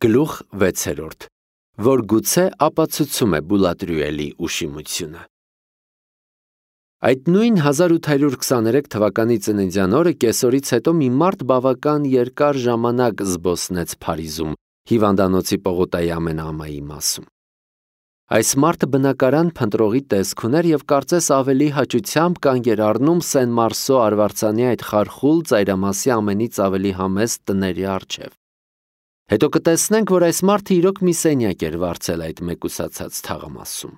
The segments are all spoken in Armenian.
Գլուխ 6, որ գուցե ապացուցում է Բուլատրյուելի ուշիմությունը։ Այդ նույն 1823 թվականի ծննդյան օրը կեսօրից հետո մի մարդ բավական երկար ժամանակ զբոսնեց Փարիզում, հիվանդանոցի պողոտայի ամենաամայի մասում։ Այս մարդը բնակարան փնտրողի տեսք ուներ և կարծես ավելի հաճությամբ կանգ էր առնում Սեն-Մարսո արվարձանի այդ խարխուլ ծայրամասի ամենից ավելի համեստ տների առջև։ Հետո կտեսնենք, որ այս մարդը իրոք մի սենյակ էր վարձել այդ մեկուսացած թաղամասում։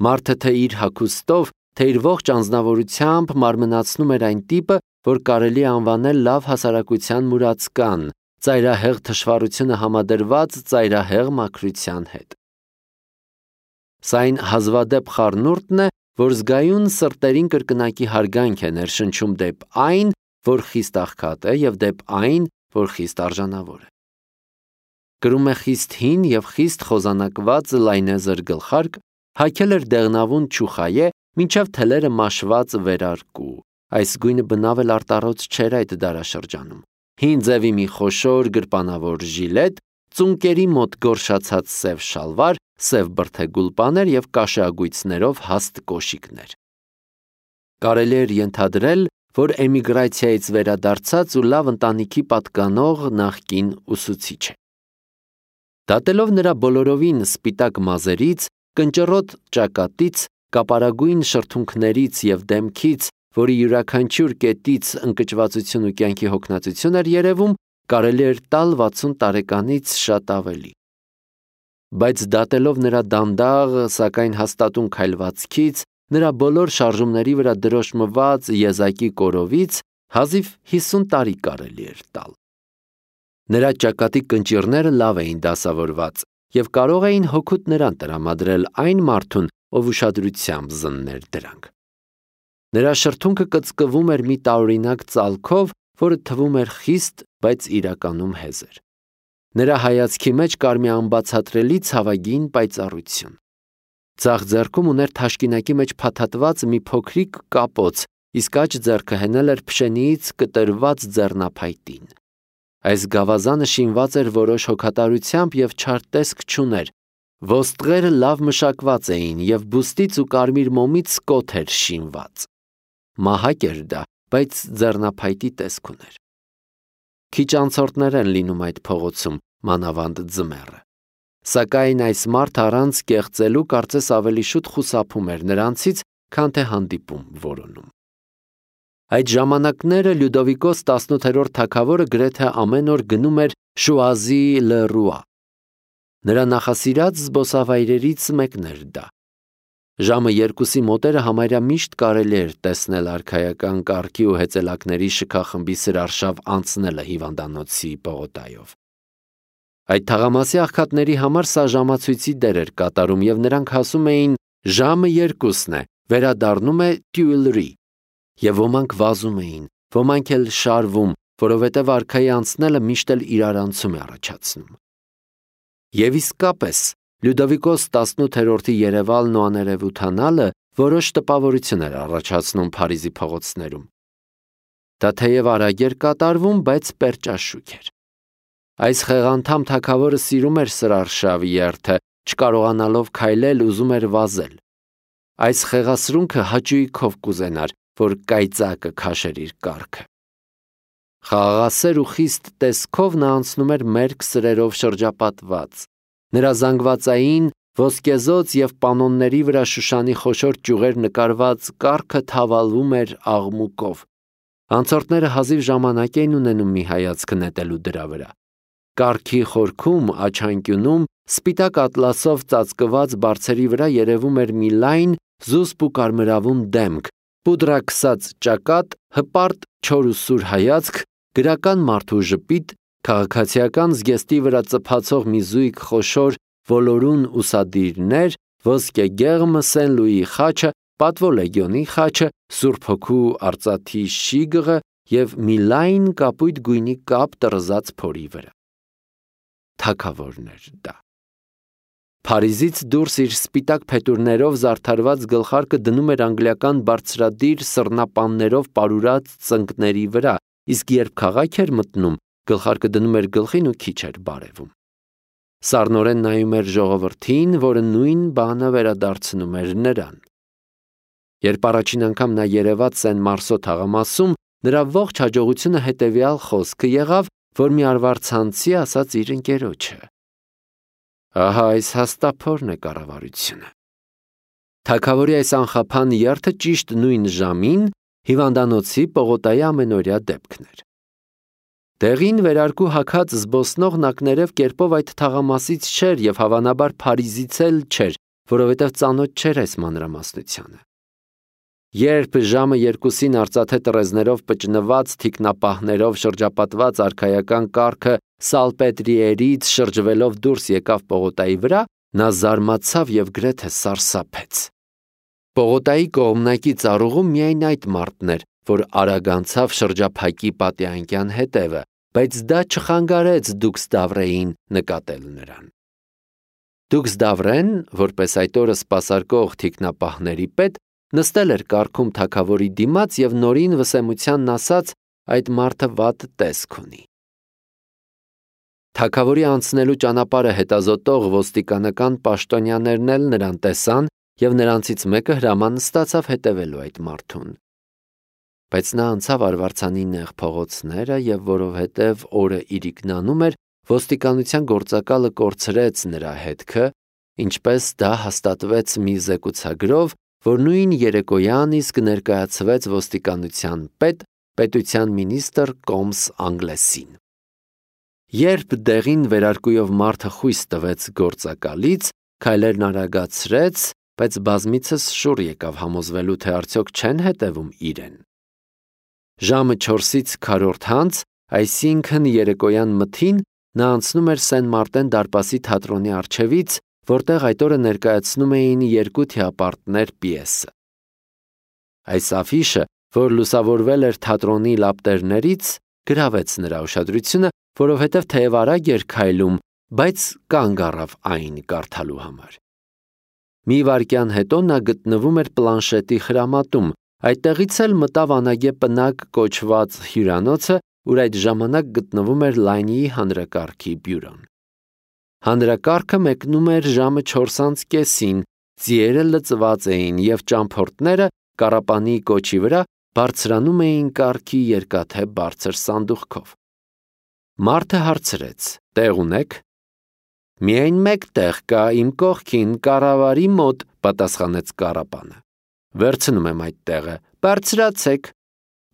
Մարդը թե իր հագուստով, թե իր ողջ անձնավորությամբ մարմնացնում էր այն տիպը, որ կարելի է անվանել լավ հասարակության մուրացկան, ծայրահեղ թշվառությունը համադրված ծայրահեղ մաքրության հետ։ Սա այն հազվադեպ խառնուրդն է, որ զգայուն սրտերին կրկնակի հարգանք է ներշնչում դեպ այն, որ խիստ աղքատ է, և դեպ այն, որ խիստ արժանավոր է։ Կրում է խիստ հին և խիստ խոզանակված լայնեզր գլխարկ, հագել էր դեղնավուն չուխայե, մինչև թելերը մաշված վերարկու, այս գույնը բնավ էլ արտառոց չէր այդ դարաշրջանում, հին ձևի մի խոշոր գրպանավոր ժիլետ, ծունկերի մոտ գորշացած սև շալվար, սև բրդեգուլպաներ և կաշեագույցներով հաստ կոշիկներ։ Կարելի էր ենթադրել, որ էմիգրացիայից վերադարձած ու լավ ընտանիքի պատկանող նախկին ուսուցիչ է։ Դատելով նրա բոլորովին սպիտակ մազերից, կնճռոտ ճակատից, կապարագույն շրթունքներից և դեմքից, որի յուրաքանչյուր կետից ընկճվածություն ու կյանքի հոգնածություն էր երևում, կարելի էր տալ 60 տարեկանից շատ ավելի։ Բայց դատելով նրա դանդաղ, սակայն հաստատուն քայլվածքից, նրա բոլոր շարժումների վրա դրոշմված եզակի կորովից, հազիվ 50 տարի կարելի էր տալ։ Նրա ճակատի կնճիռները լավ էին դասավորված և կարող էին հօգուտ նրան տրամադրել այն մարդուն, ով ուշադրությամբ զններ դրանք։ Նրա շրթունքը կծկվում էր մի տարօրինակ ծալքով, որը թվում էր խիստ, բայց իրականում հեզր։ Նրա հայացքի մեջ կար մի անբացատրելի ցավագին պայծառություն։ Ձախ ձեռքում ուներ թաշկինակի մեջ փաթաթված մի փոքրիկ կապոց, իսկ աջ ձեռքը հենել էր փշենիից կտրված ձեռնափայտին։ Այս գավազանը շինված էր որոշ հոգատարությամբ և չար տեսք չուներ։ Ոսტղերը լավ մշակված էին և բուստից ու կարմիր մոմից կոթ էր շինված։ Մահակ էր դա, բայց ձեռնափայտի տեսք ուներ։ Քիչ անցորդներ են լինում այդ փողոցում, մանավանդ ձմեռը։ Սակայն այս մարդը առանց կեղծելու կարծես ավելի շուտ խուսափում էր նրանցից, քան թե հանդիպում որոնում։ Այդ ժամանակները Լյուդովիկոս 18-րդ թագավորը գրեթե ամեն օր գնում էր Շուազի-լը-Ռուա։ Նրա նախասիրած զբոսավայրերից մեկն էր դա։ Ժամը 2-ի մոտերը համարյա միշտ կարելի էր տեսնել արքայական կառքի ու հեծելակների շքախմբի սրարշավ անցնելը հիվանդանոցի պողոտայով։ Այդ թաղամասի աղքատների համար սա ժամացույցի դեր էր կատարում և նրանք ասում էին «ժամը 2-ն է, վերադառնում է Տյուիլրի», և ոմանք վազում էին, ոմանք էլ շարվում, որովհետև արքայի անցնելը միշտ էլ իրարանցում է առաջացնում։ Եվ իսկապես, Լյուդովիկոս 18-րդի երևալն ու աներևութանալը որոշ տպավորություն էր առաջացնում Փարիզի փողոցներում։ Դա թեև արագ էր կատարվում, բայց պերճաշուք էր։ Այս խեղանդամ թագավորը սիրում էր սրարշավ երթը, չկարողանալով քայլել, ուզում էր վազել։ Այս խեղասրունքը հաճույքով կուզենար, որ կայծակը քաշեր իր կառքը։ Խաղաղասեր ու խիստ տեսքով նա անցնում էր մերկ սրերով շրջապատված։ Նրա զանգվածային, ոսկեզոծ և պանոնների վրա Շուշանի խոշոր ճյուղեր նկարված կառքը թավալվում էր աղմուկով։ Անցորդները հազիվ ժամանակ էին ունենում մի հայացք նետելու դրա վրա։ Կառքի խորքում, աչանկյունում, սպիտակ ատլասով ծածկված բարձերի վրա երևում էր մի լայն, զուսպ ու կարմրավուն դեմք, պուդրաքսած ճակատ, հպարտ, չոր ու սուր հայացք, գրական մարդու ժպիտ, քաղաքացիական զգեստի վրա ծփացող մի զույգ խոշոր ոլորուն ուսադիրներ, ոսկեգեղմ Սեն-Լուիի խաչը, պատվո լեգիոնի խաչը, Սուրբ Հոգու արծաթի շիգը և մի լայն կապույտ գույնի կապ տռզած փորի վրա։ Թագավորն էր դա։ Փարիզից դուրս իր սպիտակ փետուրներով զարդարված գլխարկը դնում էր անգլիական բարձրադիր սռնապաններով պարուրած ծնկների վրա, իսկ երբ քաղաք էր մտնում, գլխարկը դնում էր գլխին ու քիչ էր բարևում։ Սառնորեն նայում էր ժողովրդին, որը նույն բանը վերադարձնում էր նրան։ Երբ առաջին անգամ նա երևաց Սեն-Մարսո թաղամասում, նրա ողջ հաջողությունը հետևյալ խոսքը եղավ, որ մի արվարձանցի ասաց իր ընկերոջը. «Ահա այս հաստափորն է կառավարությունը»։ Թագավորի այս անխափան երթը ճիշտ նույն ժամին հիվանդանոցի Պողոտայի ամենօրյա դեպքն էր։ Տեղին վերարկու հագած զբոսնողն ակներև կերպով այդ թաղամասից չէր և հավանաբար Փարիզից էլ չէր, որովհետև ծանոթ չէր այս մանրամասնությանը։ Երբ ժամը 2-ին արծաթե տրեզներով պճնված, թիկնապահներով շրջապատված արքայական կառքը Սալպետրիերից շրջվելով դուրս եկավ Պողոտայի վրա, նա զարմացավ և գրեթե սարսափեց։ Պողոտայի կողմնակի ծառուղում միայն այդ մարդն էր, որ արագ անցավ շրջափակի պատի հետևը, բայց դա չխանգարեց Դուքս Դավրեին նկատել նրան։ Դուքս Դավրեն, որպես այդ օրը սպասարկող թիկնապահների պետ, նստել էր կառքում թագավորի դիմաց և նորին վսեմությանն ասաց. այդ մարդը վատ տեսք ունի։ Թագավորի անցնելու ճանապարհը հետազոտող ոստիկանական պաշտոնյաներն էլ նրան տեսան և նրանցից մեկը հրաման ստացավ հետևելու այդ մարդուն։ Բայց նա անցավ արվարձանի նեղ փողոցները և որովհետև օրը իրիկնանում էր, ոստիկանության գործակալը կորցրեց նրա հետքը, ինչպես դա հաստատվեց մի զեկուցագրով, որ նույն երեկոյան իսկ ներկայացվեց ոստիկանության պետության մինիստր Կոմս Անգլեսին։ Երբ դեղին վերարկուով մարդը խույս տվեց գործակալից, քայլերն արագացրեց, բայց բազմիցս շուռ եկավ համոզվելու, թե արդյոք չեն հետևում իրեն։ Ժամը 4-ից քառորդ հանց, այսինքն երեկոյան մթին, նա անցնում էր Սեն-Մարտեն դարպասի թատրոնի առջևից, որտեղ այդ օրը ներկայացնում էին երկու թիապարտներ պիեսը։ Այս աֆիշը, որ լուսավորվել էր թատրոնի լապտերներից, գրավեց նրա ուշադրությունը, որովհետև թեև արագ էր քայլում, բայց կանգ առավ այն կարդալու համար։ Մի վայրկյան հետո նա գտնվում էր պլանշետի խրամատում, այդտեղից էլ մտավ անագե պնակ կոչված հյուրանոցը, ուր այդ ժամանակ գտնվում էր Լանյի հանրակարգի բյուրոն։ Հանրակարգը մեկնում էր ժամը 4:30, ձիերը լծված էին և ճամփորդները կառապանի կոչի վրա բարձրանում էին կառքի երկաթե բարձր սանդուղքով։ Մարդը հարցրեց. «Տեղ ունե՞ք»։ «Միայն մեկ տեղ կա իմ կողքին, կառավարի մոտ», պատասխանեց կառապանը։ «Վերցնում եմ այդ տեղը, բարձրացեք»։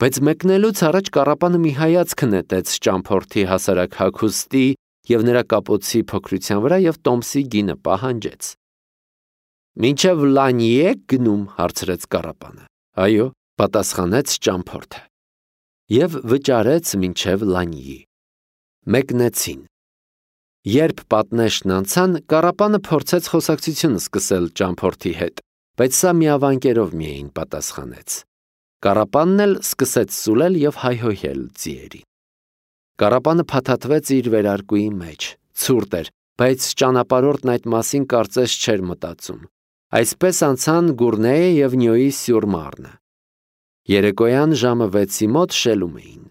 Բայց մեկնելուց առաջ կառապանը մի հայացք նետեց ճամփորդի հասարակ հագուստի և նրա կապոցի փոքրության վրա և տոմսի գինը պահանջեց։ «Մինչև Լանյի եք գնում», հարցրեց կառապանը։ «Այո», պատասխանեց ճամփորդը։ Եվ վճարեց մինչև Լանյի։ Մեկնեցին։ Երբ պատնեշն անցան, կառապանը փորձեց խոսակցություն սկսել ճամփորդի հետ, բայց սա միավանկերով միայն պատասխանեց։ Կառապանն էլ սկսեց սուլել և հայհոյել ձիերին։ Կառապանը փաթաթվեց իր վերարկուի մեջ, ցուրտ էր, բայց ճանապարհորդն այդ մասին կարծես չէր մտածում։ Այսպես անցան Գուրնեյը և Նյոյի-Սյուր-Մարնը։ Երեկոյան ժամը 6-ի մոտ շելում էին։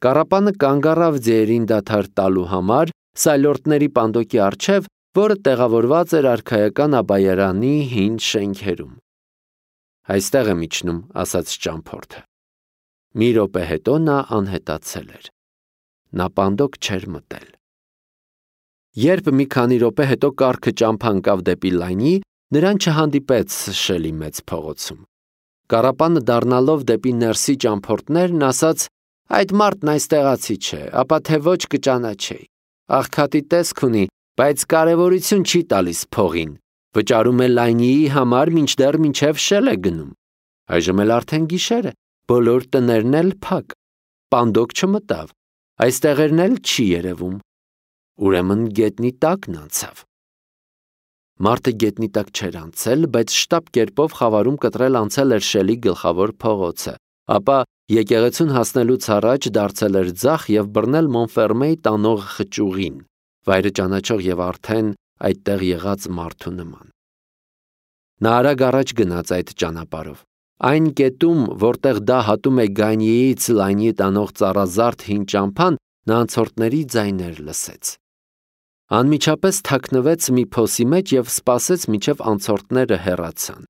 Կառապանը կանգ առավ ձիերին դադար տալու համար սայլորդների պանդոկի առջև, որը տեղավորված էր արքայական Աբայարանի հին շենքերում։ «Այստեղ եմ իջնում», ասաց ճամփորդը։ Մի րոպե հետո նա անհետացել էր։ Նա պանդոկ չէր մտել։ Երբ մի քանի րոպե հետո կառքը ճամփա ընկավ դեպի Լանյի, նրան չհանդիպեց շելի մեծ փողոցում։ Կառապանը դառնալով դեպի ներսի ճամփորդներն ասաց. «Այդ մարդն այստեղացի չէ, ապա թե ոչ կճանաչեի։ Աղքատի տեսք ունի, բայց կարևորություն չի տալիս փողին, վճարում է Լանյիի համար մինչև շել է գնում։ Այժմ էլ արդեն գիշեր է, բոլոր տներն էլ փակ, պանդոկ չմտավ, այս տեղերն էլ չի երևում։ Ուրեմն գետնի տակն անցավ»։ Մարդը գետնի տակ չէր անցել, բայց շտապ կերպով խավարում կտրել անցել էր շելի գլխավոր փողոցը, ապա եկեղեցուն հասնելուց առաջ դարձել էր ձախ և բռնել Մոնֆերմեի տանող խճուղին, վայրը ճանաչող և արդեն այդտեղ եղած մարդու նման։ Նա արագ առաջ գնաց այդ ճանապարհով։ Այն կետում, որտեղ դա հատում է Գանյեից Լանյի տանող ծառազարդ հին ճամփան, նա անցորդների ձայներ լսեց։ Անմիջապես թաքնվեց մի փոսի մեջ և սպասեց, մինչև անցորդները հեռացան։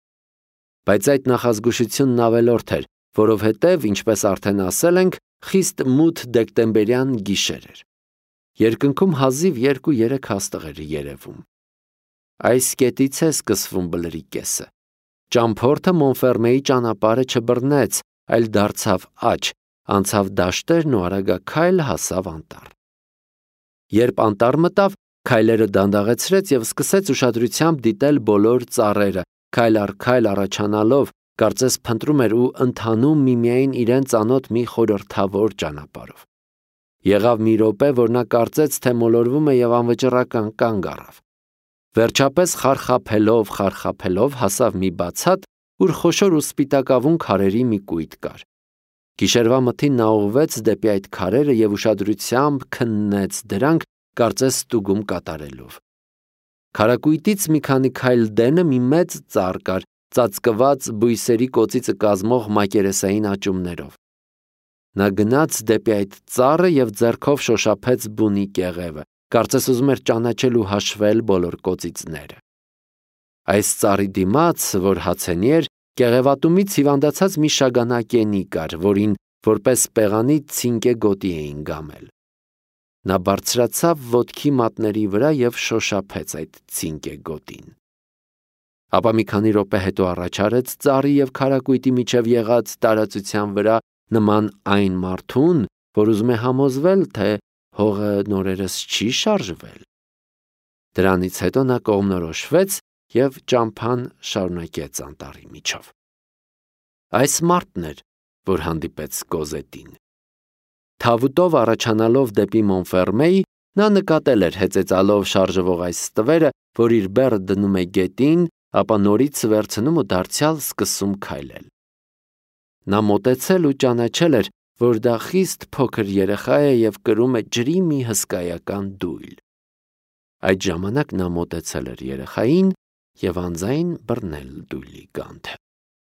Բայց այդ նախազգուշությունն ավելորդ էր, որովհետև, ինչպես արդեն ասել ենք, խիստ մութ դեկտեմբերյան գիշեր էր։ Երկնքում հազիվ 2-3 հաստղ էր երևում։ Այս կետից է սկսվում բլրի կեսը։ Ճամփորդը Մոնֆերմեի ճանապարհը չբռնեց, այլ դարձավ աջ, անցավ դաշտերն ու արագաքայլ հասավ անտառ։ Երբ անտառ մտավ, քայլերը դանդաղեցրեց և սկսեց ուշադրությամբ դիտել բոլոր ծառերը, քայլ առ քայլ առաջանալով, կարծես փնտրում էր ու ընթանում միմիայն իրեն ծանոթ մի խորհրդավոր ճանապարհով։ Եղավ մի րոպե, որ նա կարծեց, թե մոլորվում է և անվճռական կանգ առավ։ Վերջապես խարխափելով հասավ մի բացատ, ուր խոշոր ու սպիտակավուն քարերի մի կույտ կար։ Գիշերվա մթին նա ուղղվեց դեպի այդ քարերը և ուշադրությամբ քննեց դրանք, կարծես ստուգում կատարելով։ Քարակույտից մի քանի քայլ դենը մի մեծ ծառ կար, ծածկված բույսերի կոծիցը կազմող մակերեսային աճումներով։ Նա գնաց դեպի այդ ծառը և ձեռքով շոշափեց բունի կեղևը, կարծես ուզում էր ճանաչել ու հաշվել բոլոր կոծիցները։ Այս ծառի դիմաց, որ հացենի էր, կեղևատումից հիվանդացած մի շագանակենի կար, որին որպես պեղանի ցինկե գոտի էին գամել։ Նա բարձրացավ ոտքի մատների վրա և շոշափեց այդ ցինկե գոտին։ Ապա մի քանի րոպե հետո առաջարեց ծառի և քարակույտի միջև եղած տարածության վրա նման այն մարդուն, որ ուզում է համոզվել, թե հողը նորերս չի շարժվել։ Դրանից հետո նա կողմնորոշվեց և ճամփան շարունակեց անտառի միջով։ Այս մարդն էր, որ հանդիպեց Կոզետին։ Թավուտով առաջանալով դեպի Մոնֆերմեի, նա նկատել էր հեծեծալով շարժվող այս ստվերը, որ իր բեռը դնում է գետին, ապա նորից վերցնում ու դարձյալ սկսում քայլել։ Նա մոտեցել ու ճանաչել էր, որ դա խիստ փոքր երեխա է և կրում է ջրի մի հսկայական դույլ։ Այդ ժամանակ նա մոտեցել էր երեխային և անձայն բռնել դույլի գանթը։